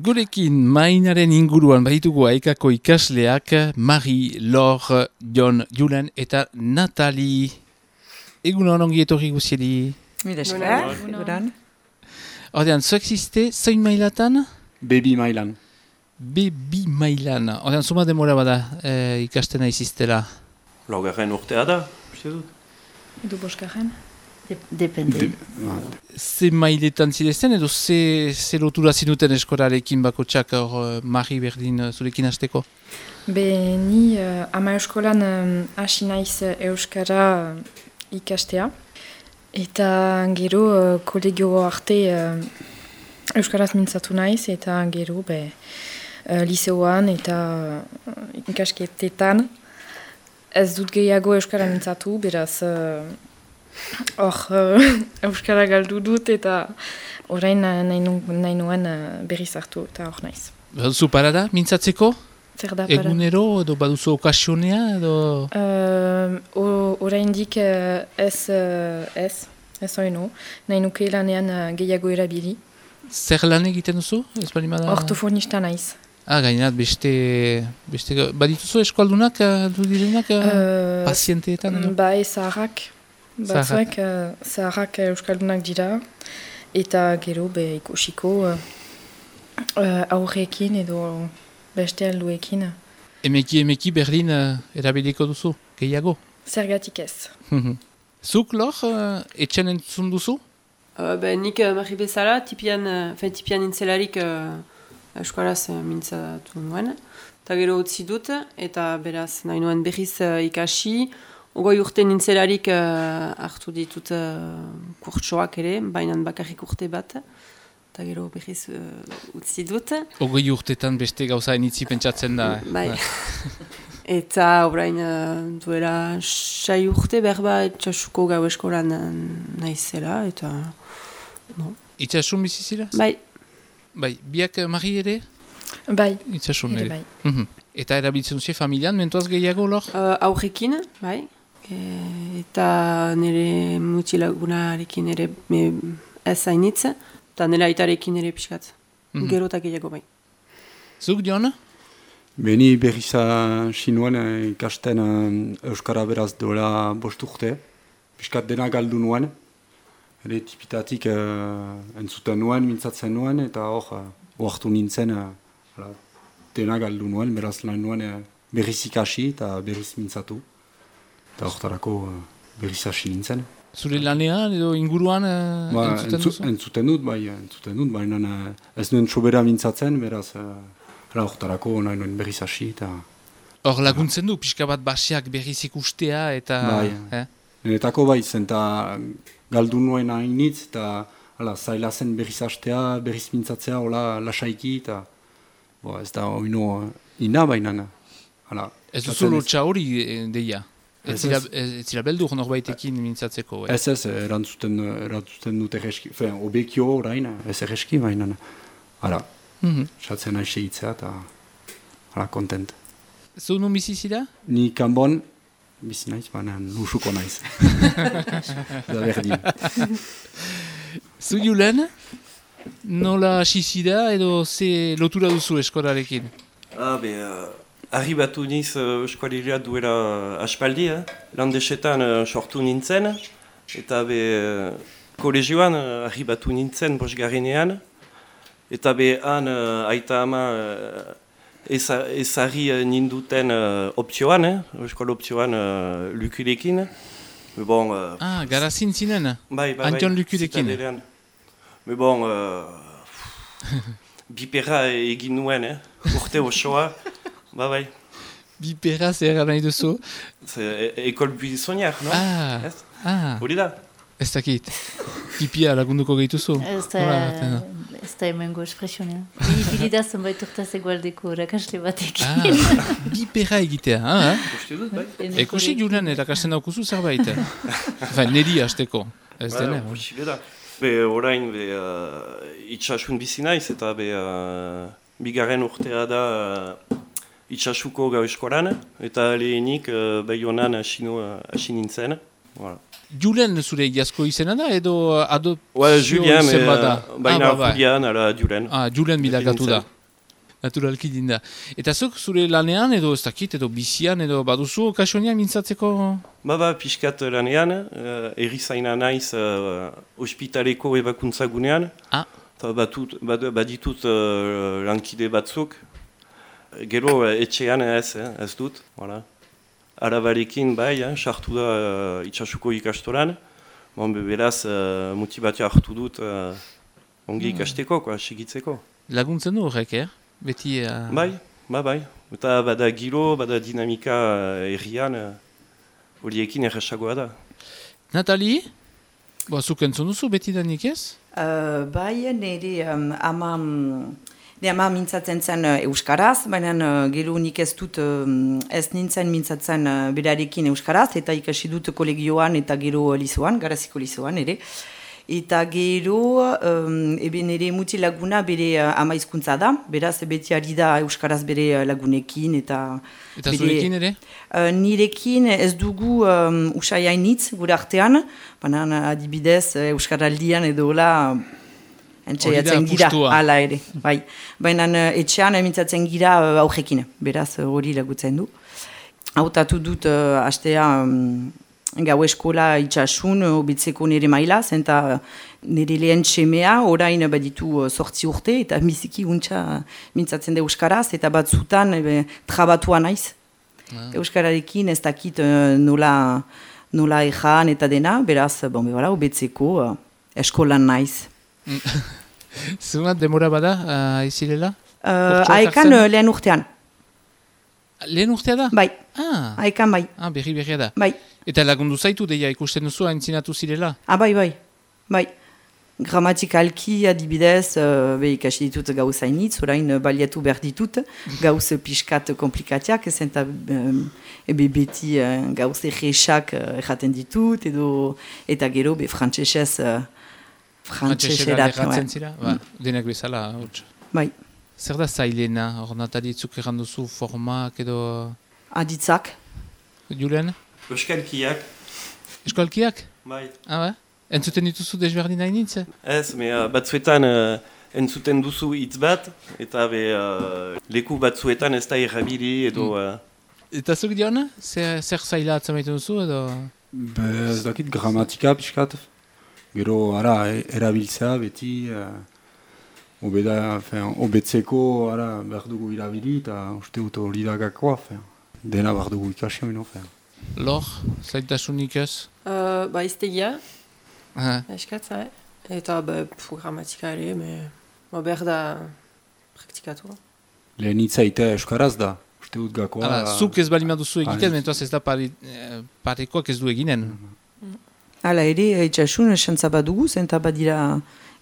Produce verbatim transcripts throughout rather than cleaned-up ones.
Gurekin mainaren inguruan baditugu Aikako ikasleak Marie, Laure, Jon, Julen eta Natali. Egunon ongi etorri guziedi. Mila esker. Egunon. Ordean, zuek ziste, zein mailatan? Baby mailan. Baby mailan. Ordean, zuma demora bada e, ikastena iziztela. Laugarren urtea da, uste dut. Edo boskarren? Depende. De, ze mailetan zidezen edo ze, ze lotura zinuten eskorarekin bakotxak hor Marie berdin zurekin hasteko? Be ni uh, ama eskolan hasi um, naiz euskara uh, ikastea. Eta gero uh, kolegio arte uh, euskaraz mintzatu naiz eta gero be, uh, liseoan eta uh, ikasketetan ez dut gehiago euskara mintzatu, beraz uh, hor uh, euskara galdu dut eta orain uh, nahi, nu, nahi nuen uh, berriz hartu eta hor naiz. Baduzu parada mintzatzeko? Zer da parada? Egunero edo baduzu okasionea edo? Uh, oraindik uh, ez, uh, ez, ez oino. Nahi nuke lanean uh, gehiago erabili. Zer lan egiten duzu? Ez bali bada... Ortofonista naiz. Ah, gainat, beste, beste... Badituzu eskualdunak, du direnak, uh, pazienteetan edo? Bai, zaharrak. Batzuek uh, zaharrak euskaldunak dira. Eta gero be ikusiko uh, uh, aurrekin edo beste alduekin. Emeki, emeki Berlin uh, erabiliko duzu, gehiago? Zergatik ez. Zuk, Lor, uh, etxen entzun duzu? Uh, be, nik uh, Marie bezala, tipian, uh, tipian intzelarik uh, eskolaz uh, mintzatu nuen. Eta gero utzi dut, eta beraz nahi nuen berriz uh, ikasi. Ogoi urte nintzelarik uh, hartu ditut uh, kurtsoak ere, bainan bakarrik urte bat. Eta gero berriz uh, utzi dut. Ogoi urtetan beste gauza enitzi pentsatzen da. Bai. Eta orain uh, duela sai urte berba itxasuko gau eskolan uh, naizela, eta... No. Itxasun bizizilaz? Bai. Bai, biak Marie ere? Bai. Itxasun ere. Bai. Mm-hmm. Eta erabiltzen duzu familian, mentuaz gehiago, Lor? Uh, aurrekin, bai. E, eta nire mutilagunarekin ere me, ez zainitz, eta nire aitarekin ere pixkat. Mm-hmm. Gero eta gehiago bai. Zuk, Jon? Beni berriza sinuen ikasten euskara beraz dola bost urte. Piskat dena galdu nuen. Ere tipitatik uh, entzuten nuen, mintzatzen nuen, eta hor uh, oartu nintzen uh, dena galdu nuen, beraz lan nuen uh, berriz ikasi eta berriz mintzatu. Eta horretarako uh, berriz hasi nintzen. Zure lanean edo inguruan uh, ba, entzuten entzu, duzu? Entzuten dut, bai, entzuten dut, baina uh, ez nuen sobera mintzatzen, beraz horretarako uh, nahi nuen berriz hasi eta... Hor laguntzen du, pixka bat basiak berriz ikustea eta... Bai, eh? Nenetako bai, zenta galdu nuen hainitz, eta hala, zaila zen berriz hastea, berriz mintzatzea, hola, lasaiki, eta bo, ez da oino ina baina. Hala, ez duzu lotxa hori deia? Ez Ez zira, ez. ez zira beldur norbaitekin mintzatzeko? Eh? Ez ez, erantzuten, erantzuten dut erreski, fen, obekio orain, ez erreski baina. Hala, Mm-hmm. satzen nahi segitzea, eta hala, kontent. Zu nun bizi zira? Ni kanbon, bizi naiz, baina lusuko naiz. Da berdin. Zu Julen? Nola hasi zira edo ze lotura duzu eskorarekin? Ah, be, uh, arribatu niz uh, eskualera duela aspaldi, eh? Landesetan uh, sortu nintzen, eta be, uh, kolegioan uh, arribatu nintzen bosgarrenean, eta be, han uh, aita ama uh, ezarri uh, ninduten uh, opzioan, eh? Eskola opzioan uh, lukulekin. Bon, uh, Ah, garazin zinen? bai, bai, Antion bai, lukulekin. zitadelean. Me bon, uh, bipera egin nuen, eh? Urte osoa, ba bai. Bipera zer nahi duzu? Ze, e ekol buizoniak, no? Ah, Ez? ah, Hori da? ez dakit. Pipia lagunduko gehituzu? Ez Nola, da, atena? ez da emengo espresionea. Bilida zenbait urtaz egualdeko rakasle batekin. Ah, bipera egitea, ah? Uste dut, bai? Ekusi Julen erakasten daukuzu zerbait. Enfin, neri hasteko. Ez Ba, dena. posible da. Be, orain, be, uh, itxasun bizi naiz, eta be, uh, bigarren urtea da uh, itxasuko gau eskolan, eta lehenik uh, Baionan hasi nu- hasi nintzen. Voilà. Julen zure iazko izena da, edo adopzio Ouais, Julien, izen mais bada? euh, baina Ah, ba, bai. Julian, ala Julen. Ah, Julen bilakatu da. Nintzen. Naturalki dinda. Eta zuk zure lanean, edo ez dakit, edo bizian, edo baduzu kasonia mintzatzeko? Ba, ba, pixkat lanean, uh, erizaina naiz uh, ospitaleko ebakuntza gunean. Ah. Eta batut, bad, baditut uh, lankide batzuk. Gero uh, etxean ez, eh, ez dut, voilà. Arabarekin bai, eh, sartu da uh, itxasuko ikastolan. Bon, be, beraz, uh, motibatia hartu dut uh, ongi Hmm. ikasteko, koa, segitzeko. Laguntzen du horrek, eh? Beti... Uh... Bai, ba, bai. Eta bada gilo, bada dinamika uh, errian, uh, horiekin erresagoa da. Natali? Ba, zuk entzun duzu beti danik ez? Uh, bai, nire um, ama, um, nire ama mintzatzen zen uh, euskaraz, baina uh, gero nik ez dut um, ez nintzen mintzatzen uh, berarekin euskaraz, eta ikasi dut kolegioan eta gero lizoan, garaziko lizoan ere. Eta gero, um, ebe nire mutilaguna bere uh, ama hizkuntza da, beraz beti ari da euskaraz bere uh, lagunekin eta... Eta bere, zurekin ere? Uh, nirekin ez dugu um, usai hainitz gure artean, baina adibidez uh, euskaraldian edo hola entzaiatzen gira, apustua. hala ere. Bai. Baina uh, etxean emintzatzen gira uh, aurrekin, beraz uh, hori lagutzen du. Hautatu dut uh, astea um, gau eskola itxasun hobitzeko nire mailaz, eta nire lehen txemea orain baditu sortzi urte, eta biziki untxa mintzatzen da euskaraz, eta batzutan ebe, trabatua naiz. Ah. Euskararekin ez dakit uh, nola, nola ejan eta dena, beraz, bon, be, voilà, hobetzeko uh, eskolan naiz. Zunat demora bada, uh, izilela? Uh, Urtsuak Aekan hartzen? uh, lehen urtean, Lehen urtea da? bai, Ah, aekan bai, ah berri berria da. bai. Eta lagundu zaitu deia ikusten duzu haintzinatu zirela? Ah, bai, bai, bai. Gramatikalki adibidez, uh, be ikasi ditut gauz hainitz, orain uh, baliatu behar ditut, gauz pixkat komplikatiak, zenta um, ebe beti uh, gauz erresak uh, erraten ditut, edo, eta gero be frantsesez uh, frantseserat. erratzen zira? Ba, denak bezala, huts. Bai, Zer da zailena, hor natalitzuk erranduzu formak edo... aditzak. Julen? Euskalkiak, Eskolkiak? bai. Ah, ba? Entzuten dituzu desberdin hainitz? Ez, me, uh, batzuetan uh, entzuten duzu hitz bat, eta be, uh, leku batzuetan ez da errabili edo... Uh, Eta zuk diona? Zer, zer zaila atzamaiten duzu edo... Be, ez dakit gramatika pixkat. Gero, ara, e- erabiltzea beti... Uh, obeda, fin, obetzeko, ara, behar dugu irabili, eta uste dut hori da gakoa, fin. Dena behar dugu ikasi hori, no, fin. Lor, zaitasunik ez? Uh, ba, iztegia, Ah, eskatza, eh? Eta ba, pfu, gramatika ere, me, ba, behar da praktikatu. Lehen hitzaita euskaraz da, uste dut gakoa. Hala, zuk ez balima duzu egiten, Ah, mentuaz ez da pare, eh, parekoak ez du eginen. Hala ere, itxasun, esantza badugu, zenta badira,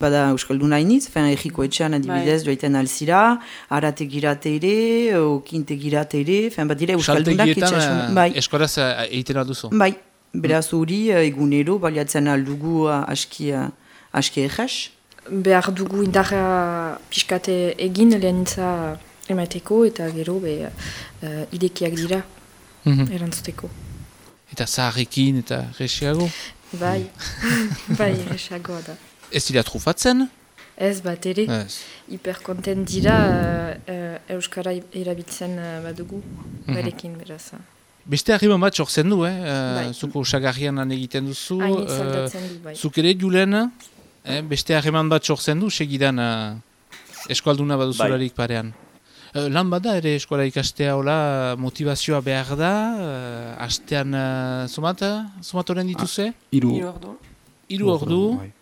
bada Euskaldun hainitz, fen erriko etxean adibidez joaiten alzira, arate girate ere, okinte girate ere, fen badira Euskaldunak Saltegietan itxasun. eh, Bai, eskoraz eh, egiten alduzu. bai, beraz hori eh, egunero baliatzen aldugu eh, aski, eh, aski egez. Behar dugu indarra pixkate egin lehenitza emateko eta gero be, uh, idekiak dira Mhm. erantzuteko. Eta zaharrekin eta resiago. Bai, bai, esagoa da. Ez dira trufatzen? Ez bat ere, Ez. hiperkontent dira uh, uh, Euskara erabiltzen uh, badugu, barekin beraz. Beste harriman bat sortzen du, eh? Bai. Uh, zuko osagarrian lan egiten duzu. Hainitz eh, aldatzen du, bai. Zuk ere, Julen, eh? beste harriman bat sortzen du, segidan uh, eskualduna baduzularik parean. Uh, lan bada ere eskola ikastea hola motivazioa behar da, uh, astean uh, somat, somat horren dituze? Hiru Hiru ordu. Hiru ordu, bai.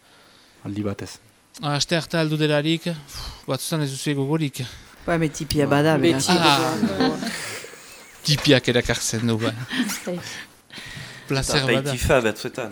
Aldi batez. aste harta aldu delarik, batzutan ez duzu egogorik. Bai, me tipia bada, beraz. Beti. Ah. Tipiak erakartzen du, ba. Bai. Placer eta bada. baitifa batzuetan.